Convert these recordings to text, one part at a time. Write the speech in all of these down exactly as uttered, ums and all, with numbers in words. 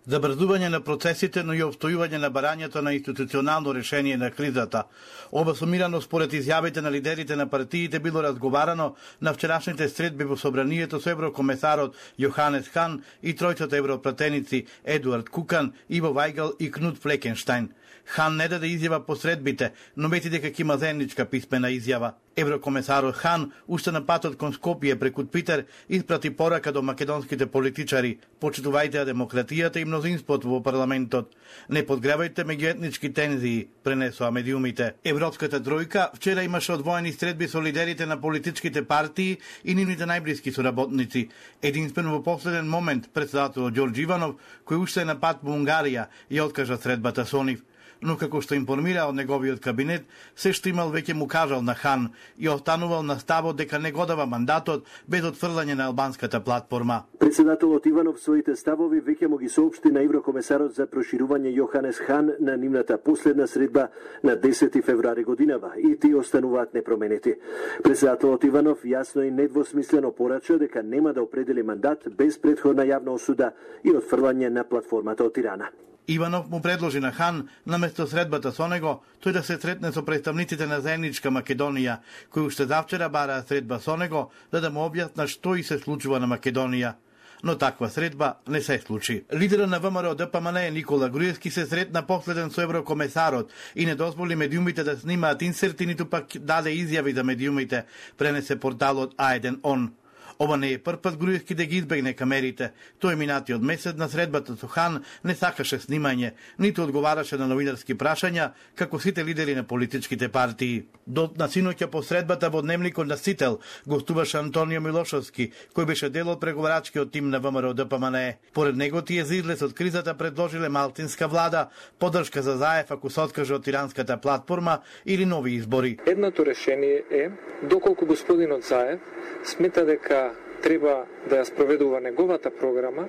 забрзување на процесите, но и обстојување на барањето на институционално решение на кризата. Оба сумирано според изјавите на лидерите на партиите било разговарано на вчерашните средби во собранието со еврокомесарот Јоханес Хан и тројцата европратеници Едуард Кукан, Иво Вајгал и Кнут Флекенштајн. Хан не даде изјава по средбите, но мети дека ќе има заедничка писмена изјава. Еврокомесарот Хан, уште на патот кон Скопје преку Твитер, испрати порака до македонските политичари: почитувајте демократијата и мнозинството во парламентот. Не подгревајте меѓуетнички тензии, пренесоа медиумите. Европската тројка вчера имаше одвоени средби со лидерите на политичките партии и нивните најблиски соработници. Единствено во последен момент председателот Ѓорѓ Иванов, кој уште е на пат во Унгарија, ја откажа средбата со нив. Но како што информира од неговиот кабинет, се што имал веќе му кажал на Хан и останувал на ставот дека не го дава мандатот без отфрлање на албанската платформа. Председателот Иванов своите ставови веќе му ги соопшти на еврокомесарот за проширување Јоханес Хан на нивната последна средба на десети февруари годинава и тие остануваат непроменети. Председателот Иванов јасно и недвосмислено порача дека нема да определи мандат без претходна јавна осуда и отфрлање на платформата од Тирана. Иванов му предложи на Хан, наместо средбата со него, тој да се сретне со представниците на заедничка Македонија, кои уште завчера бараа средба со него, за да му објаснат што и се случува на Македонија. Но таква средба не се случи. Лидерот на ВМРО Д П М Н Никола Груевски се сретна последен со еврокомесарот и не дозволи медиумите да снимаат инсерти, ниту пак даде изјави за медиумите, пренесе порталот А еден Он. Ова не е прв пат Груевски да ги избегне камерите. Тој минатиот месец на средбата со Хан не сакаше снимање, ниту одговараше на новинарски прашања, како сите лидери на политичките партии. До на синоќа по средбата во дневникот на Сител гостуваше Антонио Милошовски, кој беше дел од преговарачкиот тим на ВМРО Д П М Н. Поред него тие за излез од кризата предложиле малтинска влада, поддршка за Заев ако се откаже од тиранската платформа или нови избори. Едното решение е, доколку господинот Заев смета дека треба да ја спроведува неговата програма,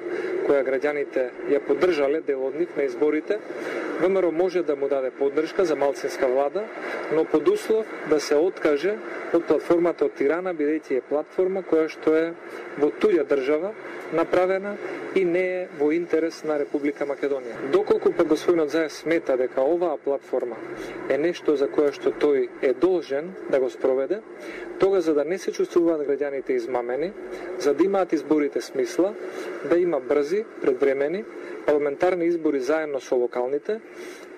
која граѓаните ја поддржале дел од нив на изборите, ВМРО може да му даде поддршка за малцинска влада, но под услов да се откаже од платформата од Тирана, бидејќи е платформа која што е во туѓа држава направена и не е во интерес на Република Македонија. Доколку па господинот Заев смета дека оваа платформа е нешто за кое што тој е должен да го спроведе, тога за да не се чувствуваат граѓаните измамени, за да имаат изборите смисла, да има брзи, предвремени, парламентарни избори заедно со локалните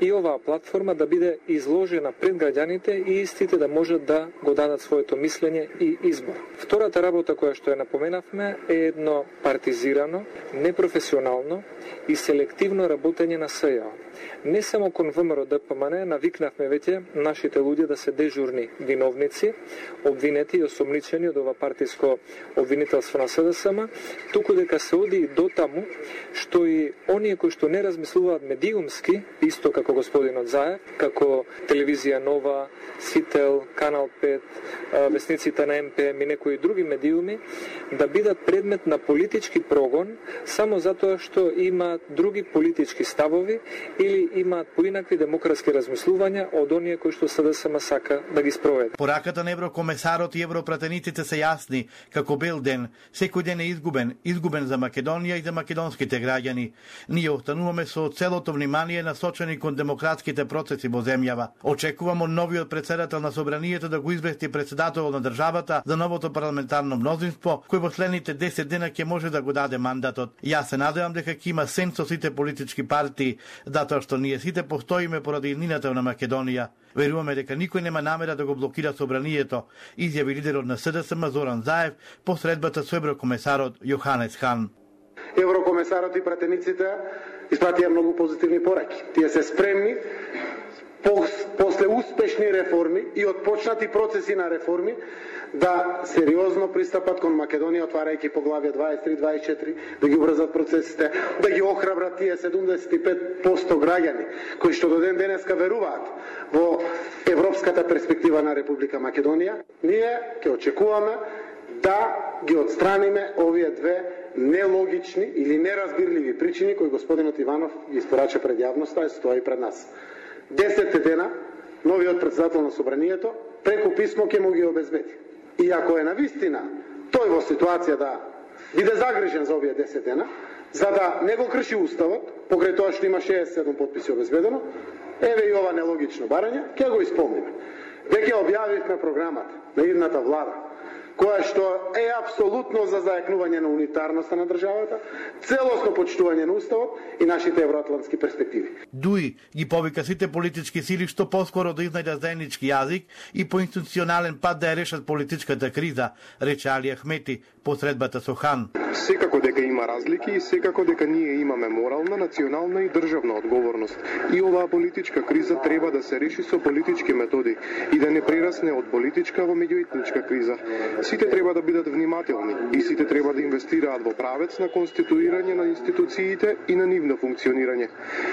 и оваа платформа да биде изложена пред граѓаните и истите да можат да го дадат своето мислење и избор. Втората работа која што ја напоменавме е едно партизирано, непрофесионално и селективно работење на С Ј О. Не само кон ВМРО Д П М Н навикнавме веќе нашите луѓе да се дежурни виновници, обвинети и осомничени од ова партиско обвинителство на С Д С М, туку дека се оди и до таму што и оние кои што не размислуваат медиумски, исто како господинот Заев, како телевизија Нова, Сител, Канал пет, весниците на М П М и некои други медиуми, да бидат предмет на политички прогон само затоа што имаат други политички ставови или имаат поинакви демократски размислувања од оние кои што С Д С М сака да ги спроведе. Пораката на еврокомесарот и европратениците се јасни, како бел ден, секој ден е изгубен, изгубен за Македонија и за македонските граѓани. Ние остануваме со целото внимание насочени кон демократските процеси во земјава. Очекувам од новиот председател на собранието да го извести председателот на државата за новото парламентарно мнозинство, кој во следните десет дена ќе може да го даде мандатот. Јас се надевам дека ќе има сенс со сите политички партии, затоа што ние сите постоиме поради иднината на Македонија. Веруваме дека никој нема намера да го блокира собранието, изјави лидерот на С Д С М Зоран Заев по средбата со еврокомесарот Јоханес Хан. Еврокомесарот и пратениците испратија многу позитивни пораки. Тие се спремни после успешни реформи и отпочнати процеси на реформи да сериозно пристапат кон Македонија, отварајќи поглавја дваесет и три дваесет и четири, да ги обрзат процесите, да ги охрабрат тие седумдесет и пет проценти граѓани кои што до ден денеска веруваат во европската перспектива на Република Македонија. Ние ќе очекуваме да ги отстраниме овие две нелогични или неразбирливи причини кои господинот Иванов ги испорача пред јавноста и стои пред нас. Десет дена новиот председател на собранието преку писмо ќе му ги обезбеди. И ако е навистина тој во ситуација да биде загрижен за овие десет дена, за да не го крши уставот, покрај тоа што има шеесет и седум потписи обезбедено, еве и ова нелогично барање, ќе го исполниме. Веќе објавивме програмата на идната влада, која што е апсолутно за зајакнување на унитарноста на државата, целосно почитување на уставот и нашите евроатлантски перспективи. Дуи ги повика сите политички сили што поскоро да изнајдат заеднички јазик и по институционален пат да ја решат политичката криза, рече Али Ахмети по средбата со Хан. Секако дека има разлики и секако дека ние имаме морална, национална и државна одговорност. И оваа политичка криза треба да се реши со политички методи и да не прерасне од политичка во меѓуетничка криза. Сите треба да бидат внимателни и сите треба да инвестираат во правец на конституирање на институциите и на нивно функционирање.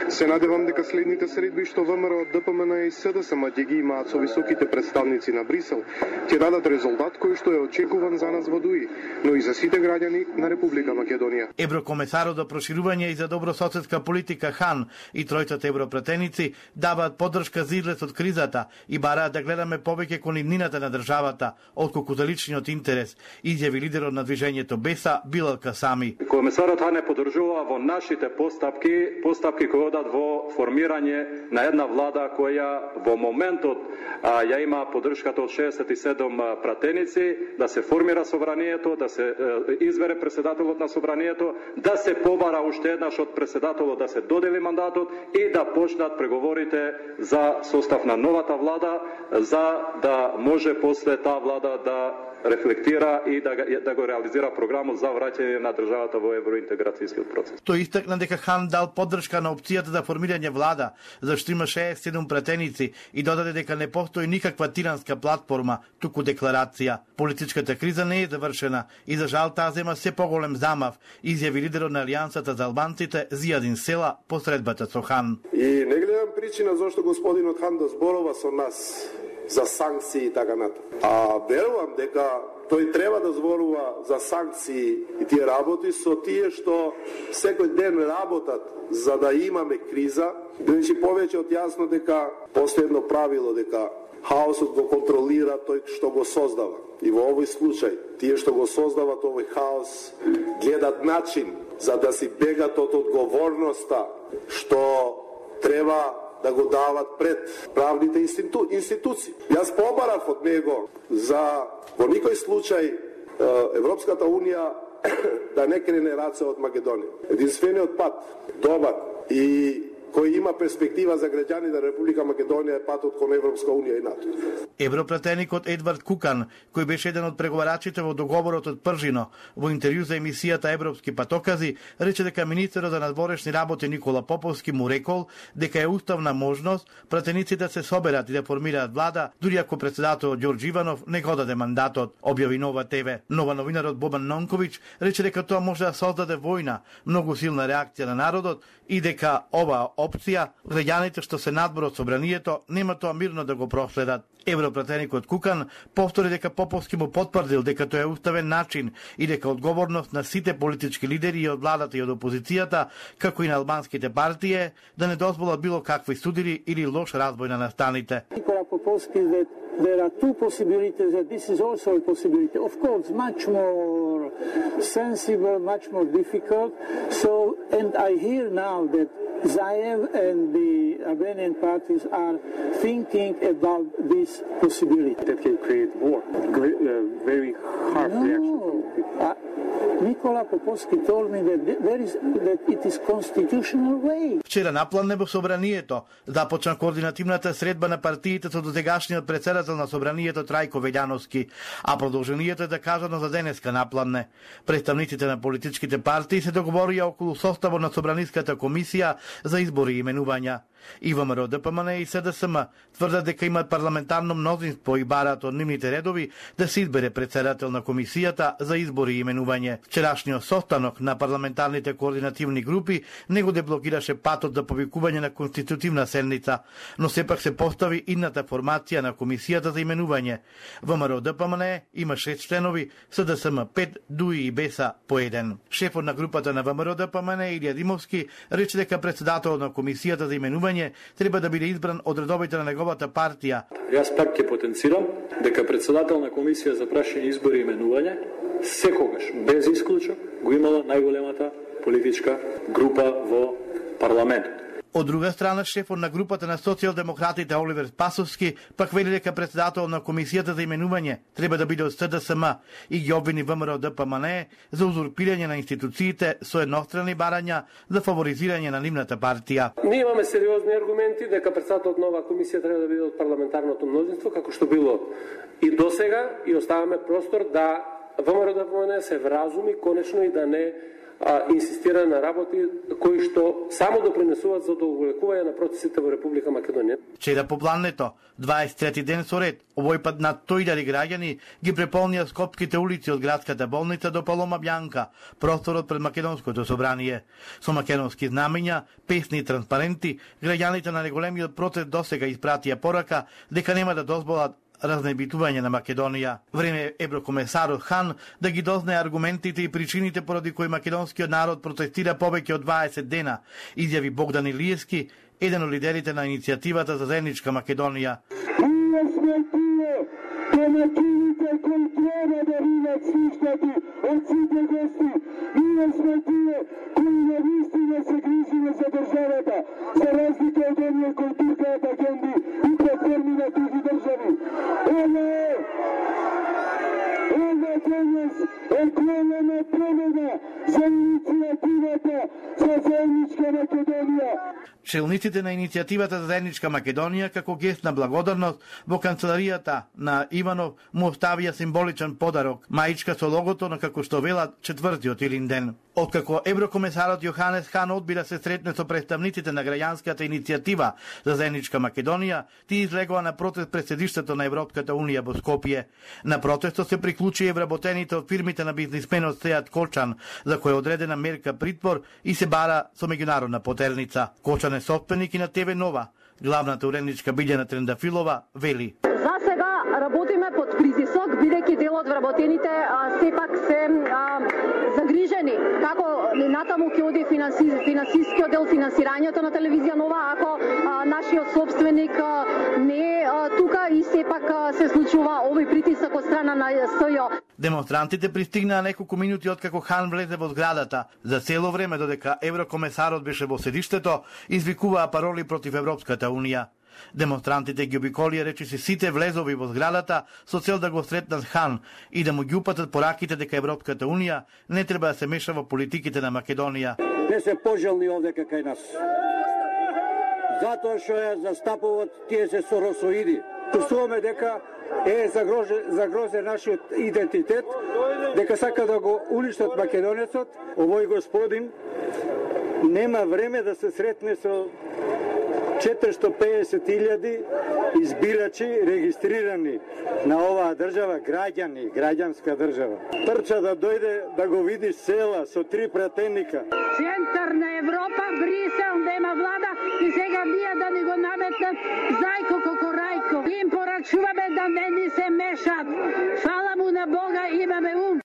Се надевам дека следните средби што ВМРО, ДПМН и СДСМ ќе ги имаат со високите представници на Брисел, ќе дадат резултат кој што е очекуван за нас во Дуи, но и за сите граѓани на Република Македонија. Еврокомесарот за проширување и за добрососедска политика Хан и тројцата европратеници даваат поддршка за излез од кризата и бараат да гледаме повеќе кон иднината на државата, отколку за личниот интерес, изјави лидерот на движењето Беса Билал Касами. Комесарот Хан е поддржува во нашите постапки, постапки кои одат во формирање на една влада која во моментот а, ја има поддршката од шеесет и седум пратеници, да се формира собранието, да се е, избере председателот на собранието, да се побара уште еднаш од председателот да се додели мандатот и да почнат преговорите за состав на новата влада, за да може после таа влада да рефлектира и да, да го реализира програмот за враќање на државата во евроинтеграцијскиот процес. Тој истакна дека Хан дал поддршка на опцијата за формирање влада, зашто има шеесет и седум пратеници и додаде дека не постои никаква тиранска платформа, туку декларација. Политичката криза не е завршена и за жал таа зема се поголем замав, изјави лидерот на Алијансата за албанците Зијадин Села по средбата со Хан. И не гледам причина зашто господинот Хан да зборува со нас за санкции и така натаму. А верувам дека тој треба да зборува за санкции и тие работи со тие што секој ден работат за да имаме криза. Значи повеќе од јасно дека постои едно правило дека хаосот го контролира тој што го создава. И во овој случај тие што го создават овој хаос гледат начин за да си бегат од одговорноста што треба да го дават пред правните институ... институции. Јас побарав од него за во никој случај Европската Унија да не крене раце од Македонија. Единствениот пат, добар и кој има перспектива за граѓани на Република Македонија е патот кон Европска Унија и НАТО. Европратеникот Едвард Кукан, кој беше еден од преговарачите во договорот од Пржино, во интервју за емисијата Европски патокази, рече дека министерот за надворешни работи Никола Поповски му рекол дека е уставна можност пратениците да се соберат и да формираат влада, дури ако председателот Ѓорѓ Иванов не го даде мандатот, објави Нова ТВ. Нова новинарот Бобан Нонковиќ рече дека тоа може да создаде војна, многу силна реакција на народот и дека ова опција, граѓаните што се надбор од собранието нема тоа мирно да го проследат. Европратеникот Кукан повтори дека Поповски му потврдил дека тоа е уставен начин и дека одговорност на сите политички лидери и од владата и од опозицијата, како и на албанските партии, да не дозволат било какви судири или лош разбој на настаните. Никола Поповски, that there are two possibilities, that this is also a possibility. Of course, much more sensible, much more difficult. So, and I hear now that Zaev and the Albanian parties are thinking about this possibility. That can create war. Great, uh, very hard no, reaction from people. Uh, Никола Поповски told me that there is that it is constitutional way. Вчера напладне во собранието започна координативната средба на партиите со досегашниот председател на собранието Трајко Велјановски, а продолжението е закажано за денеска напладне. Представниците на политичките партии се договорија околу составот на собраниската комисија за избори и именувања. И ВМРО, ДПМН и СДСМ тврдат дека имаат парламентарно мнозинство и бараат од нивните редови да се избере председател на комисијата за избори и именување. Вчерашниот состанок на парламентарните координативни групи не го деблокираше патот за повикување на конститутивна седница, но сепак се постави идната формација на комисијата за именување. ВМРО, ДПМН има шест членови, СДСМ пет, ДУИ и Беса по еден. Шефот на групата на ВМРО, ДПМН Илија Димовски рече дека председателот на комисијата за именување треба да биде избран од редовите на неговата партија. Јас пак ќе потенцирам дека председател на комисија за прашање избори и именување секогаш без исклучок го имала најголемата политичка група во парламентот. Од друга страна, шефот на групата на социјалдемократите Оливер Спасовски пак вели дека председател на комисијата за именување треба да биде од С Д С М и ги обвини ВМРО Д П М Н Е за узурпирање на институциите со еднострани барања за фаворизирање на нивната партија. Ние имаме сериозни аргументи дека председателот на оваа комисија треба да биде од парламентарното мнозинство, како што било и досега, и оставаме простор да ВМРО Д П М Н Е се вразуми конечно и да не а, инсистира на работи кои што само допринесуваат за одолговлекување на процесите во Република Македонија. Вчера попладнето, дваесет и трети ден со ред, овој пат над сто илјади граѓани ги преполнија скопските улици од градската болница до Палома Бјанка, просторот пред Македонското собрание. Со македонски знамења, песни и транспаренти, граѓаните на неголемиот протест досега испратија порака дека нема да дозволат разнебитување на Македонија. Време еврокомесарот Хан да ги дознае аргументите и причините поради кои македонскиот народ протестира повеќе од дваесет дена, изјави Богдан Илиевски, еден од лидерите на иницијативата за заедничка Македонија. Ние сме тие домакините кои треба да бидат слушнати од сите гости. Ние сме тие кои навистина се грижиме за државата, за разлика од оние кои туркаат агенди и платформи на други држави. Ово е, ово денес е голема победа за иницијативата за заедничка Македонија. Челниците на иницијативата за заедничка Македонија, како гест на благодарност, во канцеларијата на Иванов му оставија символичен подарок, маичка со логото на, како што велат, четвртиот Илинден. Откако еврокомесарот Јоханес Хан одби да се сретне со представниците на граѓанската иницијатива за заедничка Македонија, тие излегоа на протест пред седиштето на Европската унија во Скопје. На протестот се приклучи и вработените од фирмите на бизнисменот Сеат Кочан, за кој е одредена мерка притвор и се бара со меѓународна потерница. Кочан е собственик и на Т В Нова. Главната уредничка Билјана Трендафилова вели: За сега работиме под притисок, бидејќи дел од вработените а, сепак се а, загрижени како натаму ќе оди финанси, финансискиот дел, финансирањето на телевизија Нова, ако а, нашиот собственик а, не е тука и сепак а, се случува овој притисок од страна на С Ј О. Демонстрантите пристигнаа неколку минути откако Хан влезе во зградата. За цело време додека еврокомесарот беше во седиштето, извикуваа пароли против Европската унија. Демонстрантите ги обиколија речиси сите влезови во зградата со цел да го сретнат Хан и да му ги упатат пораките дека Европската унија не треба да се меша во политиките на Македонија. Не се пожелни овде кај нас. Затоа што ја застапуваат тие се соросоиди. Чувствуваме дека е загрозен, загрозен нашиот идентитет, дека сака да го уништат македонецот. Овој господин нема време да се сретне со четиристо педесет илјади избирачи регистрирани на оваа држава, граѓани, граѓанска држава. Трча да дојде да го види села со три пратеника. Центар на Европа, Брисел, нема влада и сега ние да ни го наметнат зајко кокорајко. Им порачуваме да не ни се мешат. Фала му на Бога, имаме ум.